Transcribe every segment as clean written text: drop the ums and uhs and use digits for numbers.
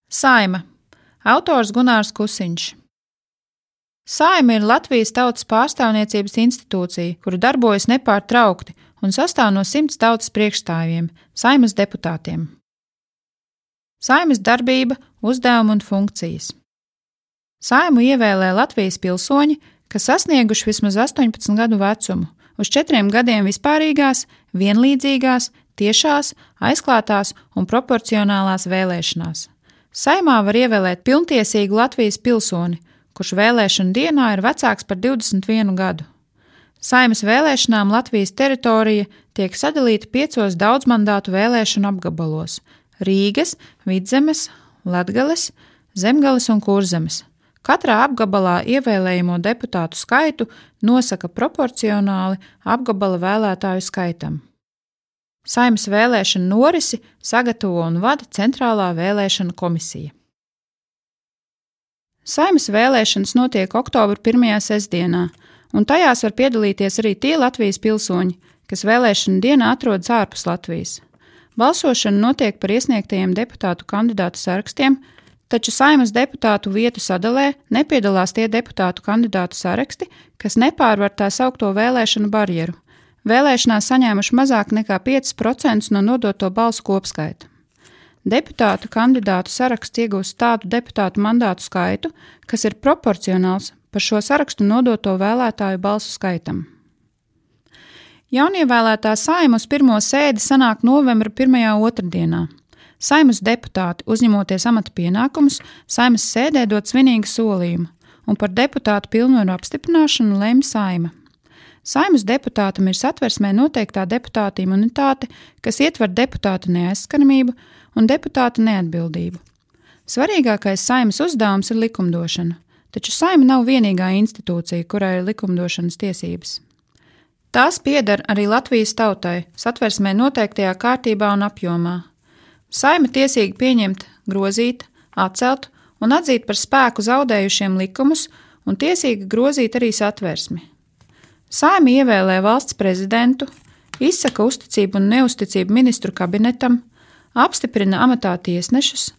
Saima. Autors Gunārs Kusiņš. Saima ir Latvijas Tautas pārstāvniecības institūcija, kura darbojas nepārtraukti un sastāv no 100 tautas priekšstāvjiem, Saimas deputātiem. Saimas darbība, uzdevumi un funkcijas. Saimu ievēlē Latvijas pilsoņi, kas sasnieguši vismaz 18 gadu vecumu, uz 4 gadiem vispārīgās, vienlīdzīgās, tiešās, aizklātās un proporcionālās vēlēšanās. Saimā var ievēlēt pilntiesīgu Latvijas pilsoni, kurš vēlēšanu dienā ir vecāks par 21 gadu. Saimas vēlēšanām Latvijas teritorija tiek sadalīta 5 daudzmandātu vēlēšanu apgabalos – Rīgas, Vidzemes, Latgales, Zemgales un Kurzemes. Katrā apgabalā ievēlējamo deputātu skaitu nosaka proporcionāli apgabala vēlētāju skaitam. Saimas vēlēšanu norisi sagatavo un vada Centrālā vēlēšanu komisija. Saimas vēlēšanas notiek oktobra 1. sestdienā, un tajās var piedalīties arī tie Latvijas pilsoņi, kas vēlēšanu dienā atrodas ārpus Latvijas. Balsošana notiek par iesniegtajiem deputātu kandidātu sarakstiem, taču Saimas deputātu vietu sadalē nepiedalās tie deputātu kandidātu saraksti, kas nepārvar tā saukto vēlēšanu barjeru. Vēlēšanās saņēmuši mazāk nekā 5% no nodoto balsu kopskaita. Deputātu kandidātu saraksts iegūst tādu deputātu mandātu skaitu, kas ir proporcionāls par šo sarakstu nodoto vēlētāju balsu skaitam. Jaunievēlētā Saima uz pirmo sēdi sanāk novembra 1. otrdienā. Saimas deputāti, uzņemoties amata pienākumus, Saimas sēdē dod svinīgu solījumu, un par deputātu pilnvaru apstiprināšanu lemj Saima. Saimas deputātam ir satversmē noteiktā deputāta imunitāte, kas ietver deputāta neaizskaramību un deputāta neatbildību. Svarīgākais Saimas uzdevums ir likumdošana, taču Saima nav vienīgā institūcija, kurai ir likumdošanas tiesības. Tās pieder arī Latvijas tautai, satversmē noteiktajā kārtībā un apjomā. Saima tiesīgi pieņemt, grozīt, atcelt un atzīt par spēku zaudējušiem likumus un tiesīgi grozīt arī satversmi. Saima ievēlē valsts prezidentu, izsaka uzticību un neuzticību ministru kabinetam, apstiprina amatā tiesnešus,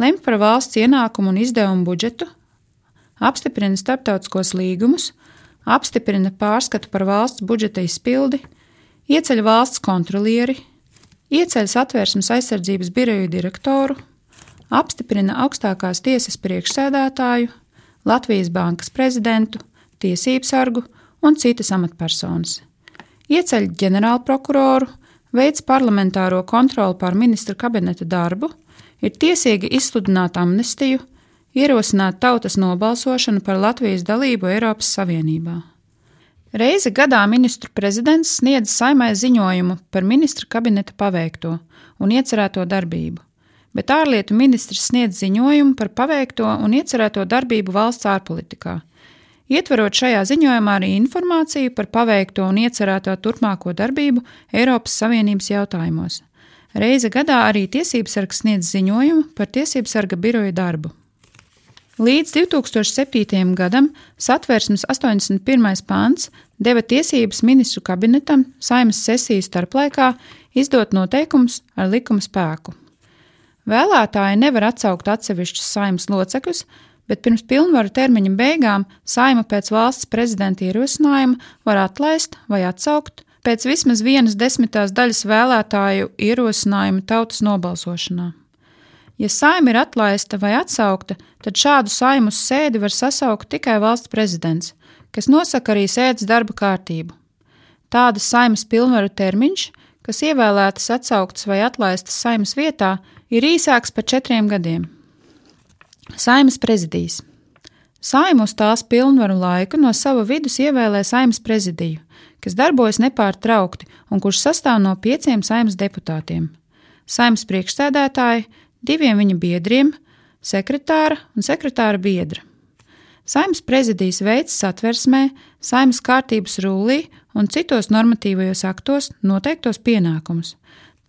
lemj par valsts ienākumu un izdevumu budžetu, apstiprina starptautiskos līgumus, apstiprina pārskatu par valsts budžeta izpildi, ieceļ valsts kontrolieri, ieceļ Satversmes aizsardzības biroju direktoru, apstiprina augstākās tiesas priekšsēdētāju, Latvijas bankas prezidentu, tiesību sargu un citas amatpersonas. Ieceļ ģenerālprokuroru, veic parlamentāro kontroli pār ministra kabineta darbu, ir tiesīga izsludināt amnestiju, ierosināt tautas nobalsošanu par Latvijas dalību Eiropas Savienībā. Reizi gadā ministru prezidents sniedz Saimai ziņojumu par ministra kabineta paveikto un iecerēto darbību, bet ārlietu ministrs sniedz ziņojumu par paveikto un iecerēto darbību valsts ārpolitikā, ietverot šajā ziņojumā arī informāciju par paveikto un iecerēto turpmāko darbību Eiropas Savienības jautājumos. Reizi gadā arī tiesībsargs sniedz ziņojumu par tiesībsarga biroja darbu. Līdz 2007. gadam Satversmes 81. pants deva tiesības ministru kabinetam Saimas sesiju starplaikā izdot noteikumus ar likuma spēku. Vēlētāji nevar atsaukt atsevišķus Saimas locekļus, bet pirms pilnvaru termiņa beigām Saima pēc valsts prezidenta ierosinājuma var atlaist vai atsaukt pēc vismaz 1/10 daļas vēlētāju ierosinājuma tautas nobalsošanā. Ja Saima ir atlaista vai atsaukta, tad šādu Saimu uz sēdi var sasaukt tikai valsts prezidents, kas nosaka arī sēdes darba kārtību. Tāda Saimas pilnvaru termiņš, kas ievēlētas atsauktas vai atlaistas Saimas vietā, ir īsāks par 4 gadiem. Saimas prezidijs. Saima uz tās pilnvaru laiku no sava vidus ievēlē Saimas prezidiju, kas darbojas nepārtraukti un kurš sastāv no 5 Saimas deputātiem. Saimas priekšsēdētāji, 2 viņa biedriem, sekretāra un sekretāra biedra. Saimas prezidijs veic satversmē, Saimas kārtības rullī un citos normatīvajos aktos noteiktos pienākumus.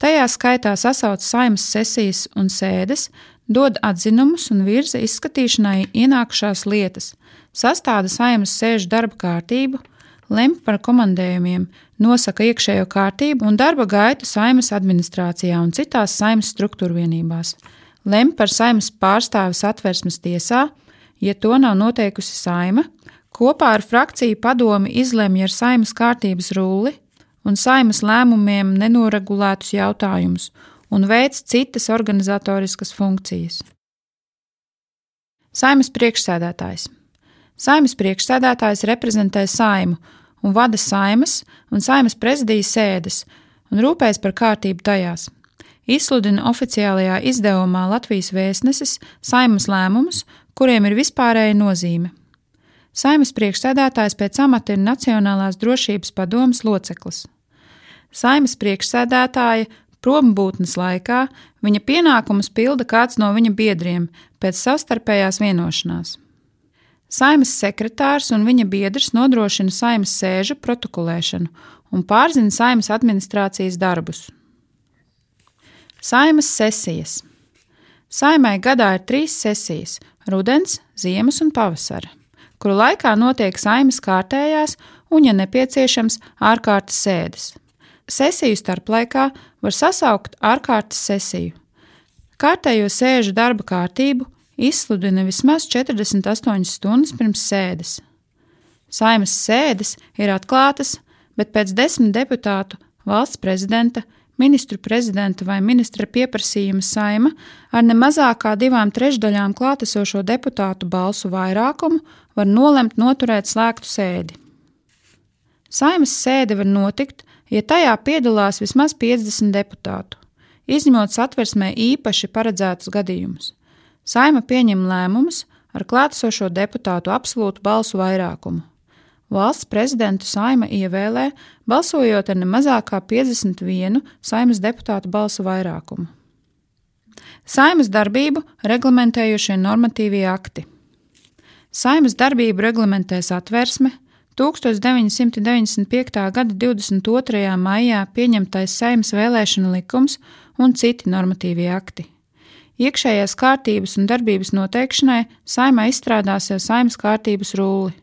Tajā skaitā sasauc Saimas sesijas un sēdes, dod atzinumus un virza izskatīšanai ienākušās lietas, sastāda Saimas sēžu darba kārtību, lemj par komandējumiem, nosaka iekšējo kārtību un darba gaitu Saimas administrācijā un citās Saimas struktūrvienībās. lemj par Saeimas pārstāvi Satversmes tiesā, ja to nav noteikusi Saeima, kopā ar frakciju padomi izlemj ar Saeimas kārtības rulli un Saeimas lēmumiem nenoregulētus jautājumus un veic citas organizatoriskas funkcijas. Saeimas priekšsēdētājs. Saeimas priekšsēdētājs reprezentē Saeimu un vada Saeimas un Saeimas prezidijas sēdes un rūpējas par kārtību tajās. Izsludina oficiālajā izdevumā Latvijas vēstnesis Saeimas lēmumus, kuriem ir vispārēja nozīme. Saeimas priekšsēdētājs pēc amata ir Nacionālās drošības padomes loceklis. Saeimas priekšsēdētāja prombūtnes laikā viņa pienākumus pilda kāds no viņa biedriem pēc savstarpējās vienošanās. Saeimas sekretārs un viņa biedrs nodrošina Saeimas sēžu protokolēšanu un pārzina Saeimas administrācijas darbus. Saeimas sesijas. Saeimai gadā ir 3 sesijas – rudens, ziemas un pavasara, kuru laikā notiek Saeimas kārtējās un, ja nepieciešams, ārkārtas sēdes. Sesiju starplaikā var sasaukt ārkārtas sesiju. Kārtējo sēžu darba kārtību izsludina vismaz 48 stundas pirms sēdes. Saeimas sēdes ir atklātas, bet pēc 10 deputātu, valsts prezidenta, ministru prezidenta vai ministra pieprasījuma Saeima ar ne mazāk kā 2/3 klātesošo deputātu balsu vairākumu var nolemt noturēt slēgtu sēdi. Saeimas sēde var notikt, ja tajā piedalās vismaz 50 deputātu, izņemot Satversmē īpaši paredzētus gadījumus. Saeima pieņem lēmumus ar klātesošo deputātu absolūtu balsu vairākumu. Valsts prezidentu Saeima ievēlē, balsojot ar ne mazāk kā 51 Saeimas deputātu balsu vairākumu. Saeimas darbību reglamentējušie normatīvie akti. Saeimas darbību reglamentē Satversme, 1995. gada 22. maijā pieņemtais Saeimas vēlēšanu likums un citi normatīvie akti. Iekšējās kārtības un darbības noteikšanai Saeimā izstrādās jau Saeimas kārtības rulli.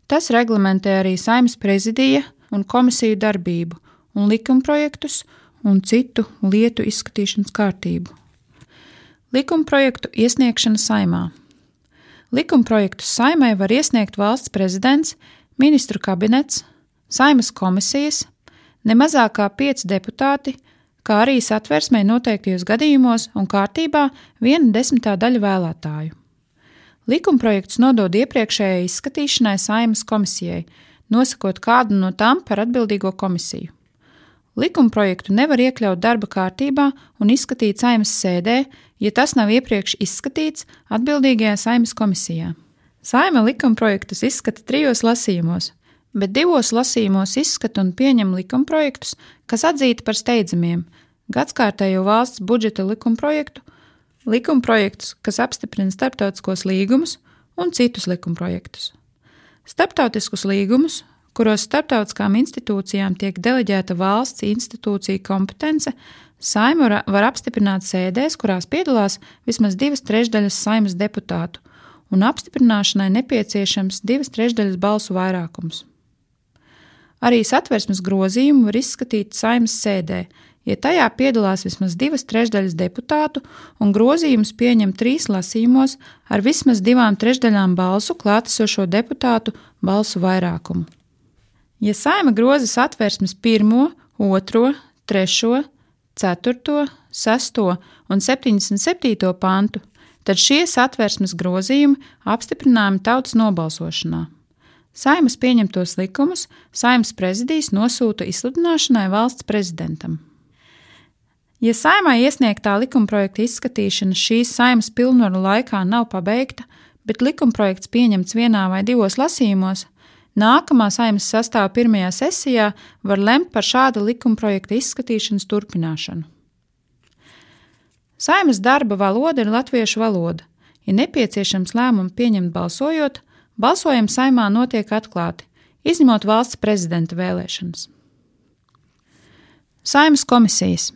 Tas reglamentē arī Saeimas prezidija un komisiju darbību un likumprojektus un citu lietu izskatīšanas kārtību. Likumprojektu iesniegšana Saeimā. Likumprojektus Saeimai var iesniegt valsts prezidents, ministru kabinets, Saeimas komisijas, ne mazāk kā 5 deputāti, kā arī Satversmē noteiktajos gadījumos un kārtībā 1/10 daļa vēlētāju. Likumprojekts nodod iepriekšējai izskatīšanai Saeimas komisijai, nosakot kādu no tām par atbildīgo komisiju. Likumprojektu nevar iekļaut darba kārtībā un izskatīt Saeimas sēdē, ja tas nav iepriekš izskatīts atbildīgajā Saeimas komisijā. Saeima likumprojektus izskata 3 lasījumos, bet 2 lasījumos izskata un pieņem likumprojektus, kas atzīti par steidzamiem – gadskārtējo valsts budžeta likumprojektu, likumprojektus, kas apstiprina starptautiskos līgumus un citus likumprojektus. Starptautiskus līgumus, kuros starptautiskām institūcijām tiek deleģēta valsts institūcija kompetence, Saeima var apstiprināt sēdēs, kurās piedalās vismaz 2/3 Saeimas deputātu, un apstiprināšanai nepieciešams 2/3 balsu vairākums. Arī Satversmes grozījumu var izskatīt Saeimas sēdē, ja tajā piedalās vismaz 2/3 deputātu un grozījumus pieņem 3 lasījumos ar vismaz 2/3 balsu klātesošo deputātu balsu vairākumu. Ja Saeima groza Satversmes 1., 2., 3., 4., 6. un 77. pantu, tad šie Satversmes grozījumi apstiprināmi tautas nobalsošanā. Saeimas pieņemtos likumus Saeimas prezidijs nosūta izsludināšanai valsts prezidentam. Ja Saeimai iesniegtā likumprojekta izskatīšana šīs Saeimas pilnvaru laikā nav pabeigta, bet likumprojekts pieņemts 1 vai 2 lasījumos, nākamā Saeimas sastāva 1. sesijā var lemt par šāda likumprojekta izskatīšanas turpināšanu. Saeimas darba valoda ir latviešu valoda. Ja nepieciešams lēmumu pieņemt balsojot, balsojumi Saeimā notiek atklāti, izņemot valsts prezidenta vēlēšanas. Saeimas komisijas.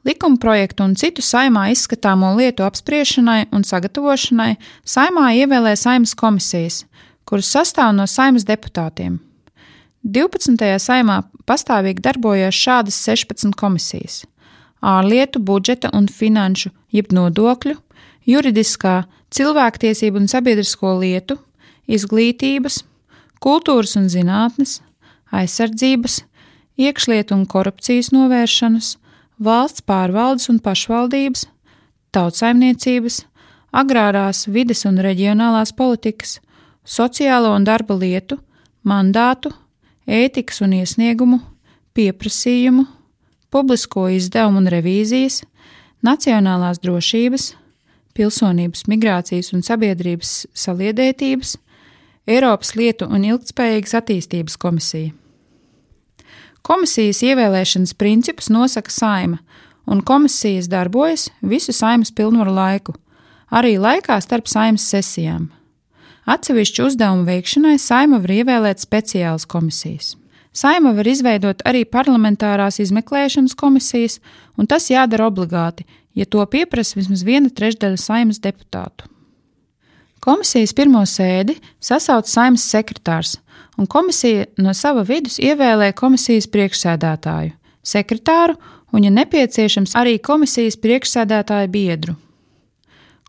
Likumprojektu un citu Saeimā izskatāmo lietu apspriešanai un sagatavošanai Saeimā ievēlē Saeimas komisijas, kuras sastāv no Saeimas deputātiem. 12. Saeimā pastāvīgi darbojas šādas 16 komisijas – ārlietu, budžeta un finanšu, jeb nodokļu, juridiskā, cilvēktiesību un sabiedrisko lietu, izglītības, kultūras un zinātnes, aizsardzības, iekšlietu un korupcijas novēršanas, valsts pārvaldes un pašvaldības, tautsaimniecības, agrārās, vides un reģionālās politikas, sociālo un darba lietu, mandātu, ētikas un iesniegumu, pieprasījumu, publisko izdevumu un revīzijas, nacionālās drošības, pilsonības, migrācijas un sabiedrības saliedētības, Eiropas lietu un ilgtspējīgas attīstības komisija. Komisijas ievēlēšanas principus nosaka Saeima, un komisijas darbojas visu Saeimas pilnvaru laiku, arī laikā starp Saeimas sesijām. Atsevišķu uzdevumu veikšanai Saeima var ievēlēt speciālas komisijas. Saeima var izveidot arī parlamentārās izmeklēšanas komisijas, un tas jādara obligāti, ja to pieprasa vismaz 1/3 Saeimas deputātu. Komisijas pirmo sēdi sasauc Saeimas sekretārs, un komisija no sava vidus ievēlē komisijas priekšsēdētāju, sekretāru un, ja nepieciešams, arī komisijas priekšsēdētāja biedru.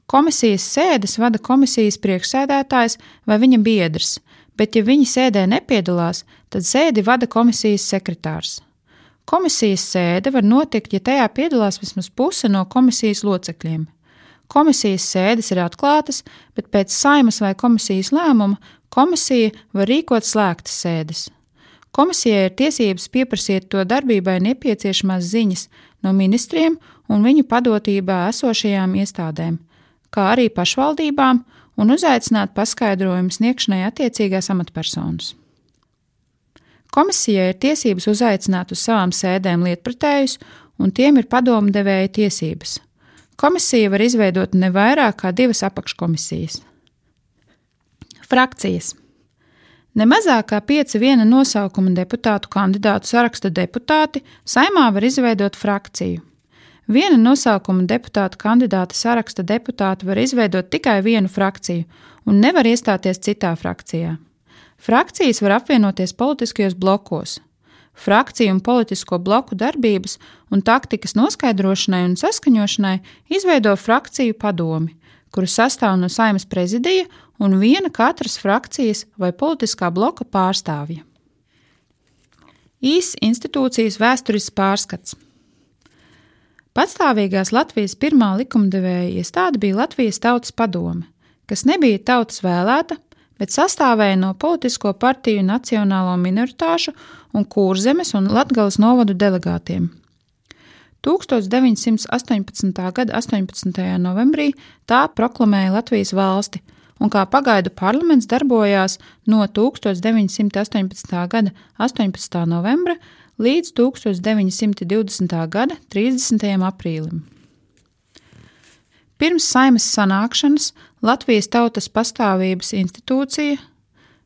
Komisijas sēdes vada komisijas priekšsēdētājs vai viņa biedrs, bet, ja viņi sēdē nepiedalās, tad sēdi vada komisijas sekretārs. Komisijas sēde var notikt, ja tajā piedalās vismaz puse no komisijas locekļiem. Komisijas sēdes ir atklātas, bet pēc Saeimas vai komisijas lēmuma komisija var rīkot slēgtas sēdes. Komisijai ir tiesības pieprasīt to darbībai nepieciešamās ziņas no ministriem un viņu padotībā esošajām iestādēm, kā arī pašvaldībām, un uzaicināt paskaidrojumu sniegšanai attiecīgās amatpersonas. Komisijai ir tiesības uzaicināt uz savām sēdēm lietpratējus, un tiem ir padomdevēja tiesības. Komisija var izveidot ne vairāk kā 2 apakškomisijas. Frakcijas. Ne mazāk kā 5 viena nosaukuma deputātu kandidātu saraksta deputāti Saeimā var izveidot frakciju. Viena nosaukuma deputātu kandidāta saraksta deputāti var izveidot tikai vienu frakciju un nevar iestāties citā frakcijā. Frakcijas var apvienoties politiskajos blokos. Frakciju un politisko bloku darbības un taktikas noskaidrošanai un saskaņošanai izveido frakciju padomi, kuru sastāv no Saeimas prezidija un viena katras frakcijas vai politiskā bloka pārstāvja. Īss institūcijas vēsturisks pārskats. Patstāvīgās Latvijas pirmā likumdevēja iestāde bija Latvijas Tautas padome, kas nebija tautas vēlēta, bet sastāvēja no politisko partiju nacionālo minoritāšu un Kurzemes un Latgales novadu delegātiem. 1918. gada 18. novembrī tā proklamēja Latvijas valsti, un kā pagaidu parlaments darbojās no 1918. gada 18. novembra līdz 1920. gada 30. aprīlim. Pirms Saeimas sanākšanas Latvijas Tautas pastāvības institūcija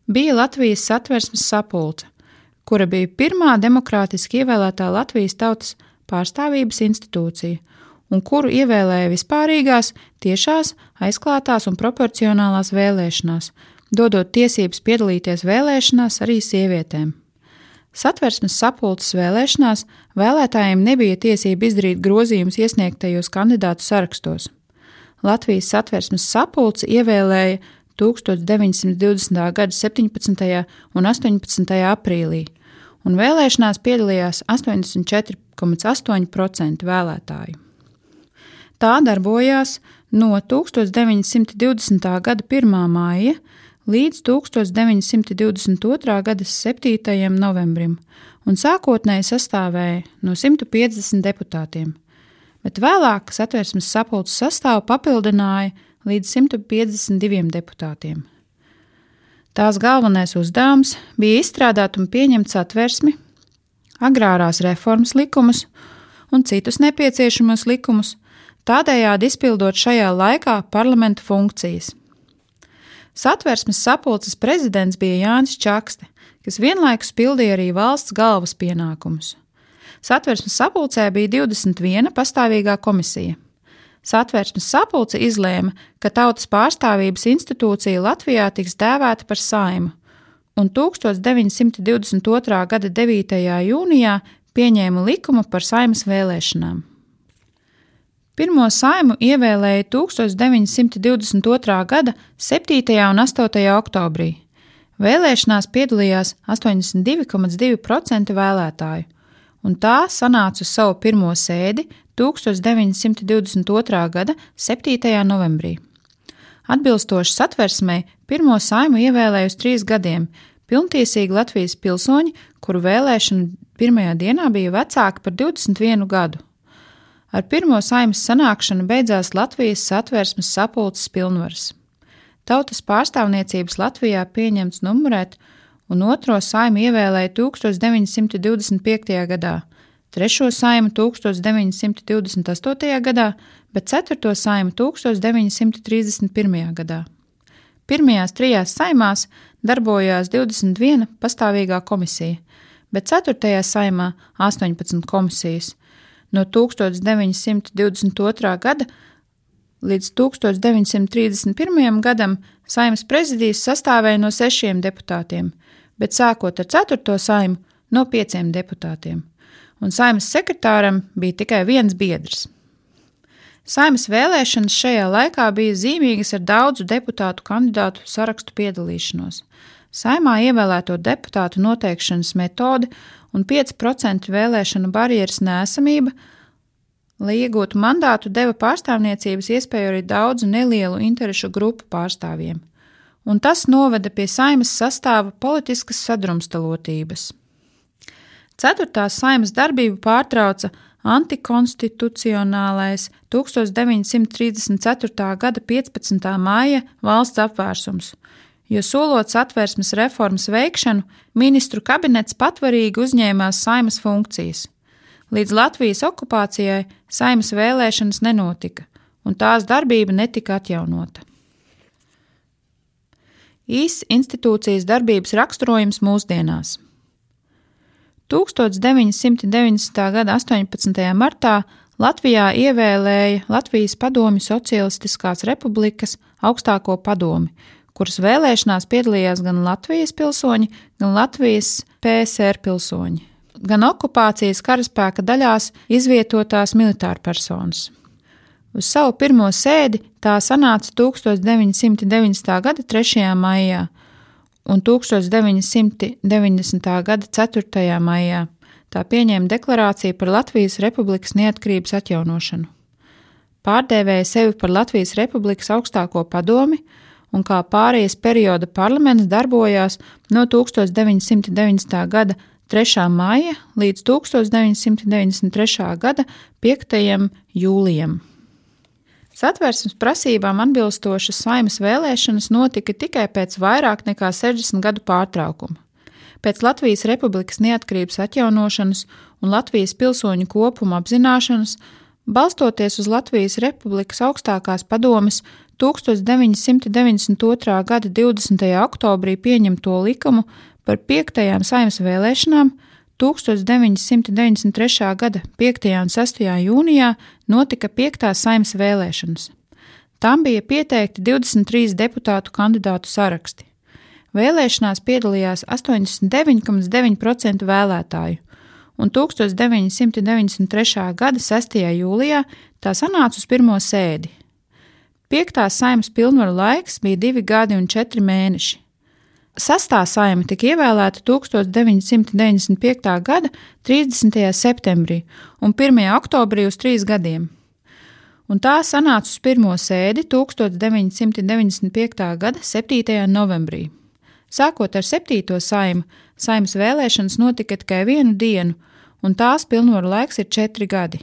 bija Latvijas Satversmes sapulce, kura bija pirmā demokrātiski ievēlētā Latvijas Tautas pārstāvības institūcija, un kuru ievēlēja vispārīgās, tiešās, aizklātās un proporcionālās vēlēšanās, dodot tiesības piedalīties vēlēšanās arī sievietēm. Satversmes sapulces vēlēšanās vēlētājiem nebija tiesība izdarīt grozījumus iesniegtajos kandidātu sarakstos. Latvijas Satversmes sapulce ievēlēja 1920. gada 17. un 18. aprīlī, un vēlēšanās piedalījās 84,8% vēlētāju. Tā darbojās no 1920. gada 1. māja līdz 1922. gada 7. novembrim, un sākotnēji sastāvēja no 150 deputātiem, bet vēlāk Satversmes sapulces sastāvu papildināja līdz 152 deputātiem. Tās galvenais uzdevums bija izstrādāt un pieņemt Satversmi, agrārās reformas likumus un citus nepieciešamos likumus, tādējādi izpildot šajā laikā parlamenta funkcijas. Satversmes sapulces prezidents bija Jānis Čakste, kas vienlaikus pildīja arī valsts galvas pienākumus. Satversmes sapulcē bija 21 pastāvīgā komisija. Satversmes sapulce izlēma, ka Tautas pārstāvības institūcija Latvijā tiks dēvēta par Saeimu, un 1922. gada 9. jūnijā pieņēma likumu par Saeimas vēlēšanām. Pirmo Saeimu ievēlēja 1922. gada 7. un 8. oktobrī. Vēlēšanās piedalījās 82,2% vēlētāju, un tā sanāca uz savu pirmo sēdi 1922. gada 7. novembrī. Atbilstoši satversmei, pirmo Saeimu ievēlēja uz 3 gadiem pilntiesīgi Latvijas pilsoņi, kuru vēlēšana pirmajā dienā bija vecāki par 21 gadu. Ar pirmo Saeimas sanākšanu beidzās Latvijas satversmes sapulces pilnvaras. Tautas pārstāvniecības Latvijā pieņemts numurēt, un otro Saeimu ievēlēja 1925. gadā, trešo Saeimu 1928. gadā, bet ceturto Saeimu 1931. gadā. Pirmajās 3 saimās darbojās 21 pastāvīgā komisija, bet 4. saimā 18 komisijas. No 1922. gada līdz 1931. gadam Saimas prezidijas sastāvēja no 6 deputātiem, bet sākot ar 4. Saimu no 5 deputātiem, un Saimas sekretāram bija tikai viens biedrs. Saimas vēlēšanas šajā laikā bija zīmīgas ar daudzu deputātu kandidātu sarakstu piedalīšanos. Saimā ievēlēto deputātu noteikšanas metode un 5% vēlēšanu barjeras neesamība, lai iegūtu mandātu, deva pārstāvniecības iespēju arī daudzu nelielu interešu grupu pārstāvjiem, un tas noveda pie Saimas sastāva politiskas sadrumstalotības. 4. Saimas darbību pārtrauca antikonstitucionālais 1934. gada 15. māja valsts apvērsums, jo solot satversmes reformas veikšanu, ministru kabinets patvarīgi uzņēmās Saimas funkcijas. Līdz Latvijas okupācijai Saimas vēlēšanas nenotika, un tās darbība netika atjaunota. Īss institūcijas darbības raksturojums mūsdienās. 1990. gada 18. martā Latvijā ievēlēja Latvijas Padomju Socialistiskās Republikas augstāko padomi, kuras vēlēšanās piedalījās gan Latvijas pilsoņi, gan Latvijas PSR pilsoņi, gan okupācijas karaspēka daļās izvietotās militārpersonas. Uz savu pirmo sēdi tā sanāca 1990. gada 3. maijā un 1990. gada 4. maijā. Tā pieņēma deklarāciju par Latvijas Republikas neatkarības atjaunošanu. Pārdēvēja sevi par Latvijas Republikas augstāko padomi, un kā pārejas perioda parlaments darbojās no 1990. gada 3. maija līdz 1993. gada 5. jūlijam. Satversmes prasībām atbilstošas Saimas vēlēšanas notika tikai pēc vairāk nekā 60 gadu pārtraukuma. Pēc Latvijas Republikas neatkarības atjaunošanas un Latvijas pilsoņu kopuma apzināšanas, balstoties uz Latvijas Republikas augstākās padomes 1992. gada 20. oktobrī pieņemto likumu par 5. Saimas vēlēšanām, 1993. gada 5. un 6. jūnijā notika 5. Saimas vēlēšanas. Tam bija pieteikti 23 deputātu kandidātu saraksti. Vēlēšanās piedalījās 89,9% vēlētāju, un 1993. gada 6. jūlijā tā sanāca uz pirmo sēdi. 5. Saimas pilnvaru laiks bija 2 gadi un 4 mēneši. 6. Saima tika ievēlēta 1995. gada 30. septembrī un 1. oktobrī uz 3 gadiem, un tā sanāca uz pirmo sēdi 1995. gada 7. novembrī. Sākot ar 7. Saimu, Saimas vēlēšanas notika tikai 1 dienu, un tās pilnvaru laiks ir 4 gadi.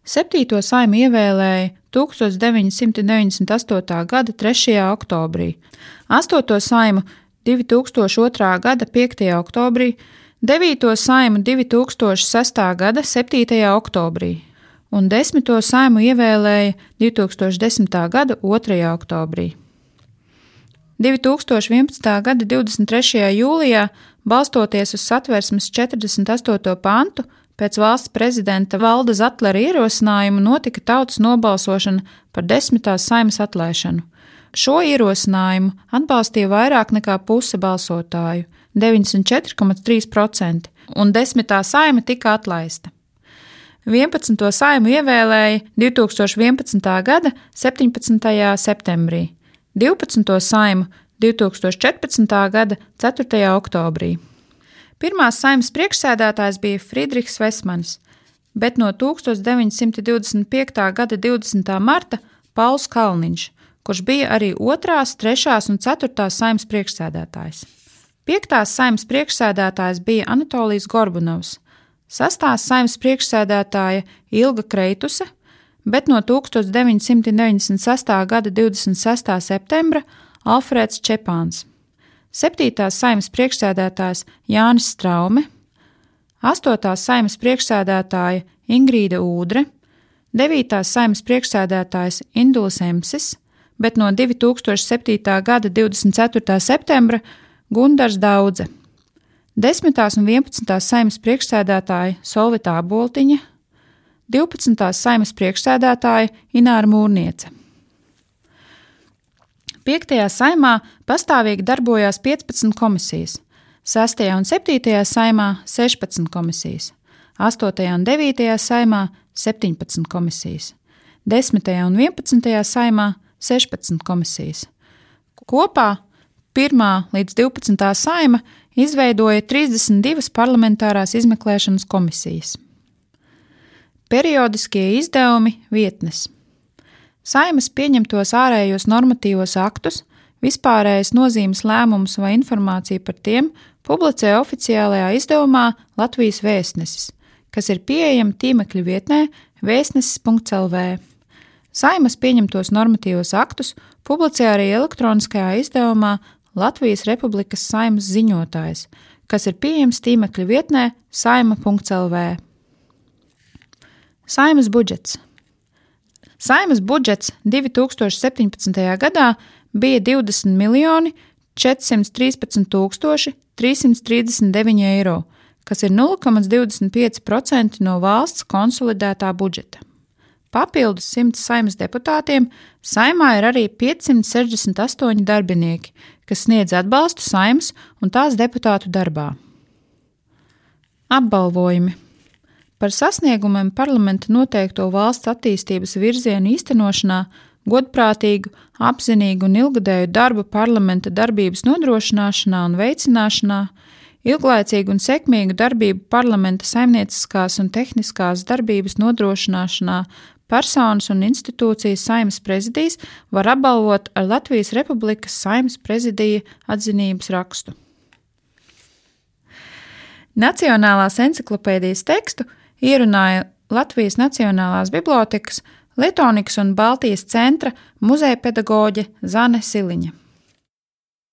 7. Saimu ievēlēja 1998. gada 3. oktobrī, 8. Saimu 2002. gada 5. oktobrī, 9. Saimu 2006. gada 7. oktobrī un 10. Saimu ievēlēja 2010. gada 2. oktobrī. 2011. gada 23. jūlijā, balstoties uz satversmes 48. pantu, pēc valsts prezidenta Valda Zatlera ierosinājuma notika tautas nobalsošana par 10. Saimas atlaišanu. Šo ierosinājumu atbalstīja vairāk nekā puse balsotāju – 94,3%, un 10. Saima tika atlaista. 11. Saimu ievēlēja 2011. gada 17. septembrī, 12. Saimu 2014. gada 4. oktobrī. Pirmās Saimas priekšsēdētājs bija Friedrichs Vesmanis, bet no 1925. gada 20. marta Pauls Kalniņš, kurš bija arī 2., 3. un 4. Saimas priekšsēdētājs. 5. Saimas priekšsēdētājs bija Anatolijs Gorbunovs, 6. Saimas priekšsēdētāja Ilga Kreituse, bet no 1996. gada 26. septembra Alfrēds Čepāns, 7. Saimas priekšsēdētājs Jānis Straume, 8. Saimas priekšsēdētāja Ingrīda Ūdre, 9. Saimas priekšsēdētājs Indulis Emsis, bet no 2007. gada 24. septembra Gundars Daudze, 10. un 11. Saimas priekšsēdētāja Solvita Aboltiņa, 12. Saimas priekšsēdētāja Ināra Mūrniece. 5. Saimā pastāvīgi darbojās 15 komisijas, 6. un 7. Saimā 16 komisijas, 8. un 9. Saimā 17 komisijas, 10. un 11. Saimā 16 komisijas. Kopā 1. līdz 12. Saima izveidoja 32 parlamentārās izmeklēšanas komisijas. Periodiskie izdevumi vietnes. Saimas pieņemtos ārējos normatīvos aktus, vispārējas nozīmes lēmumus vai informāciju par tiem publicē oficiālajā izdevumā Latvijas Vēstnesis, kas ir pieejama tīmekļa vietnē vēstnesis.lv. Saimas pieņemtos normatīvos aktus publicē arī elektroniskajā izdevumā Latvijas Republikas Saimas ziņotājs, kas ir pieejams tīmekļa vietnē saima.lv. Saimas budžets. Saimas budžets 2017. gadā bija 20 413 339 eiro, kas ir 0,25% no valsts konsolidētā budžeta. Papildus 100 Saimas deputātiem Saimā ir arī 568 darbinieki, kas sniedz atbalstu Saimas un tās deputātu darbā. Apbalvojumi. Par sasniegumiem parlamenta noteikto valsts attīstības virzienu īstenošanā, godprātīgu, apzinīgu un ilgadēju darbu parlamenta darbības nodrošināšanā un veicināšanā, ilglaicīgu un sekmīgu darbību parlamenta saimnieciskās un tehniskās darbības nodrošināšanā personas un institūcijas Saimas prezidijs var apbalvot ar Latvijas Republikas Saimas prezidija atzinības rakstu. Nacionālās enciklopēdijas tekstu ierunāja Latvijas Nacionālās bibliotēkas, Leitonikas un Baltijas centra muzejpedagoģe Zane Siliņa.